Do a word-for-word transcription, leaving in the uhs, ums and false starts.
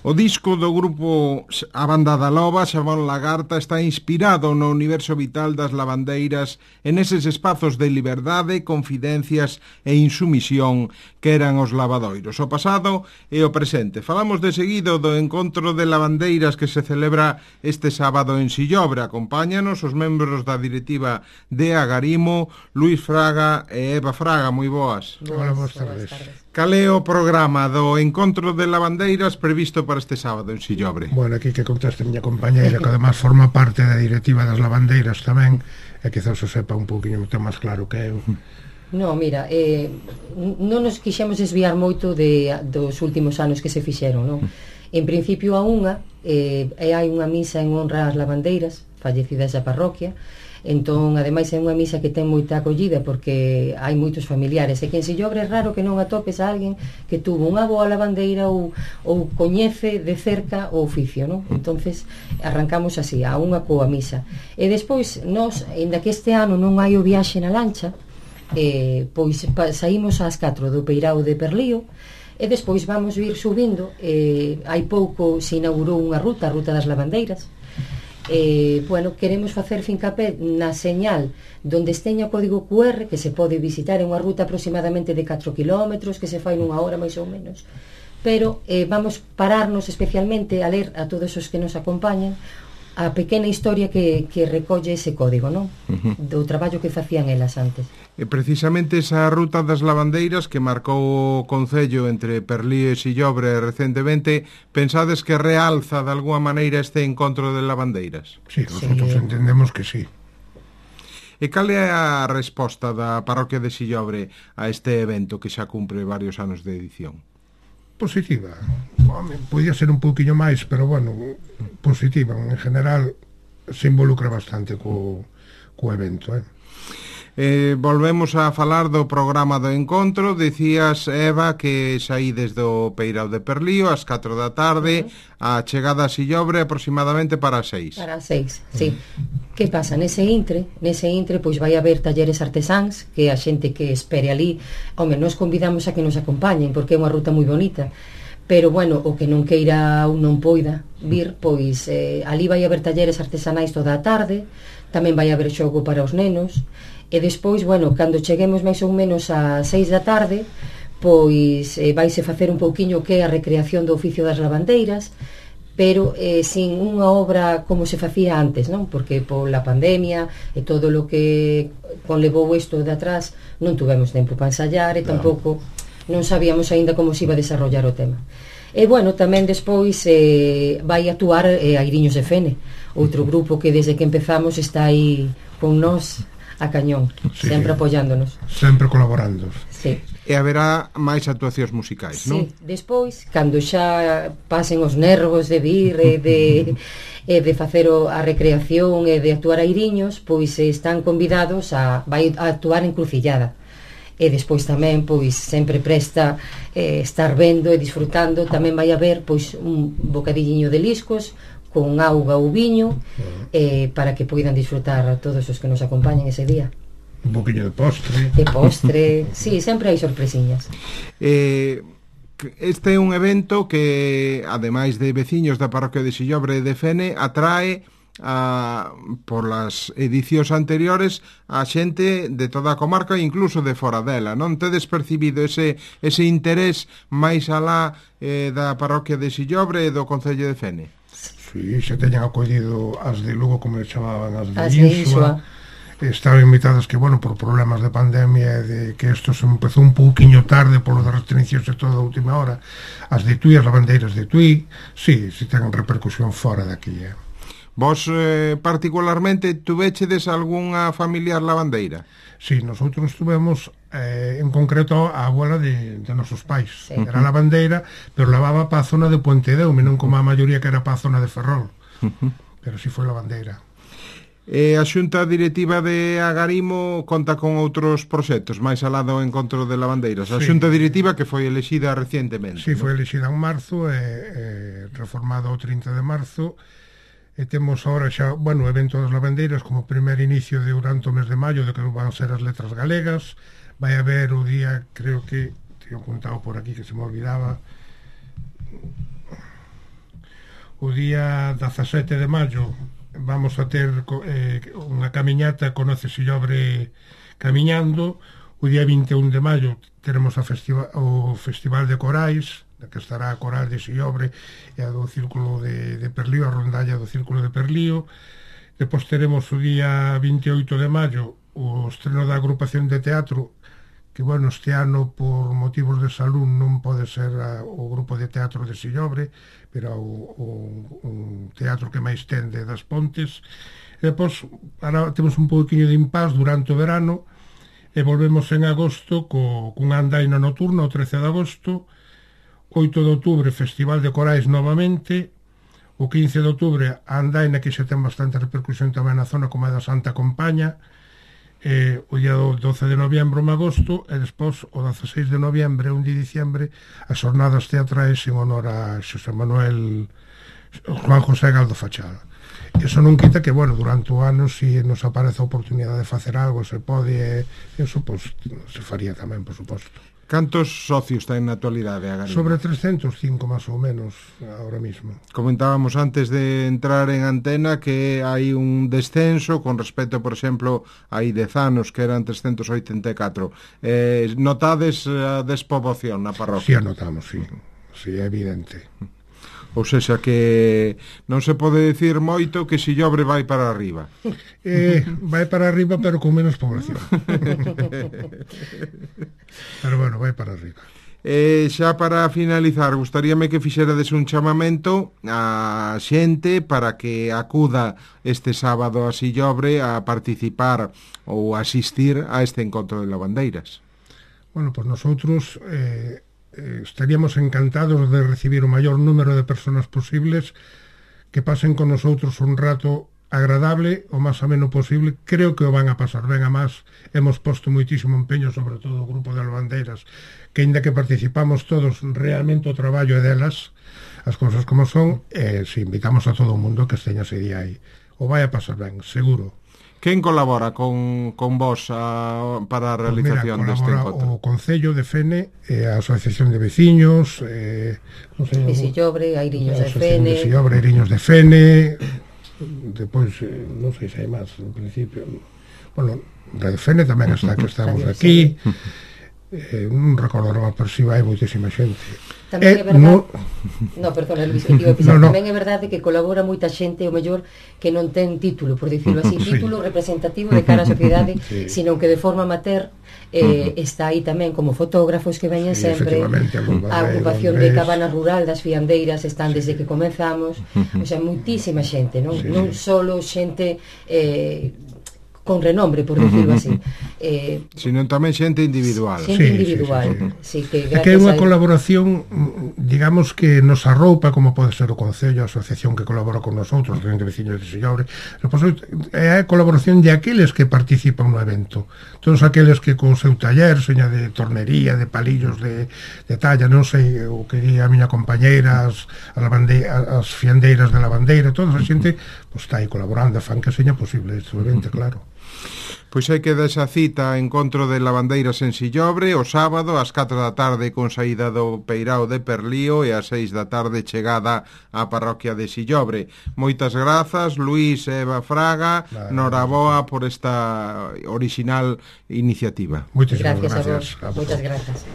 O disco do grupo A Banda da Loba, Xabón Lagarta, está inspirado no universo vital das lavandeiras e neses espazos de liberdade, confidencias e insumisión que eran os lavadoiros, o pasado e o presente. Falamos de seguido do encontro de lavandeiras que se celebra este sábado en Sillobre. Acompáñanos os membros da directiva de Agarimo, Luís Fraga e Eva Fraga. Moi boas. Hola, boas tardes. Cal é o programa do encontro de lavandeiras previsto para este sábado en Sillobre? Bueno, aquí que contaste a miña compañeira, que además forma parte da directiva das lavandeiras tamén, e quizás o sepa un poquinho máis claro que eu. No, mira, eh, non nos quixemos desviar moito de, dos últimos anos que se fixeron, non? En principio a unha, eh, hai unha misa en honra ás lavandeiras fallecidas da parroquia. Entón, ademais, é unha misa que ten moita acollida porque hai moitos familiares, e que en Sillobre é raro que non atopes a alguén que tuvo unha boa lavandeira ou, ou coñece de cerca o oficio, non? Entonces arrancamos así, a unha coa misa, e despois nós, ainda que este ano non hai o viaxe na lancha, eh, pois pa, saímos ás catro do Peirao de Perlío, e despois vamos vir subindo. Eh, hai pouco se inaugurou unha ruta, a ruta das lavandeiras. Eh, bueno, queremos facer fincapé na señal donde esteña o código cu erre, que se pode visitar en unha ruta aproximadamente de catro kilómetros, que se fai nunha hora máis ou menos, pero eh, vamos pararnos especialmente a ler a todos os que nos acompañan a pequena historia que, que recolle ese código, non? Uh-huh. Do traballo que facían elas antes. E precisamente esa ruta das lavandeiras que marcou o concello entre Perlío e Sillobre recentemente, pensades que realza de alguma maneira este encontro de lavandeiras? Sí, nosotros sí entendemos que sí. E cal é a resposta da parroquia de Sillobre a este evento que xa cumpre varios anos de edición? Positiva. Home, podía ser un pouquiño máis, pero bueno, positiva. En general se involucra bastante co, co evento, eh? Eh, volvemos a falar do programa do encontro. Dicías, Eva, que saídes do Peirao de Perlío ás catro da tarde, uh-huh. A chegada a Sillobre aproximadamente para as seis. Para as seis, sí. Uh-huh. Que pasa? Nese intre, nese intre, pois vai haber talleres artesáns, que a xente que espere ali, home, nos convidamos a que nos acompañen, porque é unha ruta moi bonita. Pero, bueno, o que non queira ou non poida vir, pois eh, ali vai haber talleres artesanais toda a tarde, tamén vai haber xogo para os nenos. E despois, bueno, cando cheguemos máis ou menos ás seis da tarde, pois eh, vaise facer un pouquiño que é a recreación do oficio das lavandeiras, pero eh, sin unha obra como se facía antes, non? Porque pola pandemia e todo o que conlevou isto de atrás non tuvemos tempo para ensayar e tampouco non sabíamos aínda como se iba a desarrollar o tema. E, bueno, tamén despois eh, vai actuar eh, Airiños de Fene, outro grupo que desde que empezamos está aí con nós a cañón, sí, sempre apoiándonos, sempre colaborando. Sí. E haberá máis actuacións musicais, sí, non? Sí, despois, cando xa pasen os nervos de vir e de, e de facer o, a recreación e de actuar Airiños, pois están convidados a, vai a actuar en Crucillada. E despois tamén, pois, sempre presta eh, estar vendo e disfrutando. Tamén vai haber, pois, un bocadilliño de liscos con auga ou viño, eh, para que poidan disfrutar a todos os que nos acompañen ese día. Un poquinho de postre. De postre, sí, sempre hai sorpresiñas. Eh, este é un evento que, ademais de veciños da parroquia de Sillobre e de Fene, atrae a, por las edicións anteriores a xente de toda a comarca e incluso de fora dela. Non tedes percibido ese, ese interés máis alá eh, da parroquia de Sillobre e do concello de Fene? Sí, xa teñen acollido as de Lugo, como le chamaban, as de as Insua. Estaban invitadas que, bueno, por problemas de pandemia, de que isto se empezou un pouquiño tarde polo de restriccións e toda a última hora. As de Tui, as lavandeiras de Tui, sí, si ten repercusión fora daqui, eh. Vos, eh, particularmente, tuvechedes algunha familiar lavandeira? Sí, nosotros tuvemos eh, en concreto a abuela de, de nosos pais, sí. Era lavandeira, pero lavaba para a zona de Pontedeume, non como a maioría que era para a zona de Ferrol. Uh-huh. Pero sí foi lavandeira. E a xunta directiva de Agarimo conta con outros proxectos máis alá do encontro de lavandeiras. A sí. Xunta directiva que foi elexida recientemente. Sí, ¿no? Foi elexida en marzo e eh, reformada o trinta de marzo. E temos agora xa, bueno, o evento das lavandeiras como primer inicio de durante o mes de maio, de que van ser as letras galegas. Vai haber o día, creo que teño apuntado por aquí que se me olvidaba, o día dezasete de maio vamos a ter eh, unha camiñata Conoce Sillobre camiñando. O día vinte e un de maio teremos a festiva, o Festival de Corais, na que estará a Coral de Sillobre e a do Círculo de, de Perlío, a rondalla do Círculo de Perlío. Depois teremos o día vinte e oito de maio o estreno da agrupación de teatro, que, bueno, este ano por motivos de salud non pode ser a, o grupo de teatro de Sillobre, pero o, o, o teatro que máis tende das Pontes. E depois, ahora temos un pouquinho de impás durante o verano, e volvemos en agosto co, cunha andaina nocturna o trece de agosto, oito de outubro Festival de Corais novamente, o quince de outubro a andaina que xa ten bastante repercusión tamén na zona como é da Santa Compaña, eh, o día doce de noviembro en agosto, e despois o dezaseis de noviembre e un de diciembre as xornadas teatrais en honor a Xosé Manuel Juan José Galdo Fachada. Eso non quita que, bueno, durante o ano se si nos aparece a oportunidade de facer algo, se pode, eso, pois, se faría tamén, por suposto. Cantos socios ten na actualidade a Garima? Sobre trescentos e cinco, máis ou menos, ahora mismo. Comentábamos antes de entrar en antena que hai un descenso con respecto, por exemplo, hai dez anos que eran trescentos oitenta e catro. Eh, notades a despoboación na parroquia? Si, sí, notamos, si. Sí. Sí, é evidente. Ou seja, que non se pode dicir moito que Sillobre vai para arriba. Eh, vai para arriba, pero con menos población. Pero, bueno, vai para arriba. Eh, xa para finalizar, gustaríame que fixerades un chamamento a xente para que acuda este sábado a Sillobre a participar ou asistir a este encontro de lavandeiras. Bueno, pues nosotros eh, eh, estaríamos encantados de recibir o maior número de personas posibles que pasen con nosotros un rato agradable, o máis ameno posible. Creo que o van a pasar ben, a máis hemos posto moitísimo empeño, sobre todo o grupo de lavandeiras, que ainda que participamos todos, realmente o traballo é delas, as cousas como son, e se invitamos a todo o mundo que esteña ese día aí. O vai a pasar ben, seguro. Quen colabora con, con vos a, para a realización pues mira, deste encontro? O Concello de Fene, e a Asociación de Veciños, eh, non sei, de Sillobre, Airiños de Fene, de Sillobre, Airiños de Fene, depois, eh, non sei se hai máis, no principio, bueno, de Fene tamén está, que estamos aquí, eh, non recordo nada, pero si vai moitísima xente. Tamén é verdade, no, no perdón, Luis, que no, no. Tamén é verdade que colabora moita xente, o mellor que non ten título, por dicirlo así, sí. Título representativo de cara á sociedade, sí. Sino que de forma amateur eh, uh -huh. está aí tamén como fotógrafos que veñen sí, sempre, a agrupación de Cabana Rural das Fiandeiras están sí. Desde que comenzamos, uh -huh. O sea, moitísima xente, non, sí. Non solo xente eh, con renombre, por decirlo así, eh, sino tamén xente individual. Xente sí, individual, sí, sí, sí. Sí, que gracias que é unha a... colaboración, digamos, que nos arroupa, como pode ser o Concello, a asociación que colabora con nosotros, de Veciños de Sillobre. É a colaboración de aqueles que participan no evento, todos aqueles que con o seu taller, seña de tornería, de palillos de, de talla, non sei o que di a miña compañeira, as, a as fiandeiras de lavandeira, toda a xente pues, está aí colaborando, fan que seña posible este evento, claro. Pois hai que dar esa cita, encontro de lavandeiras en Sillobre, o sábado ás catro da tarde con saída do Peirao de Perlío e ás seis da tarde chegada á parroquia de Sillobre. Moitas grazas, Luís e Eva Fraga, vale, noraboa por esta original iniciativa. Moitas gracias. Gracias a vos. Moitas grazas.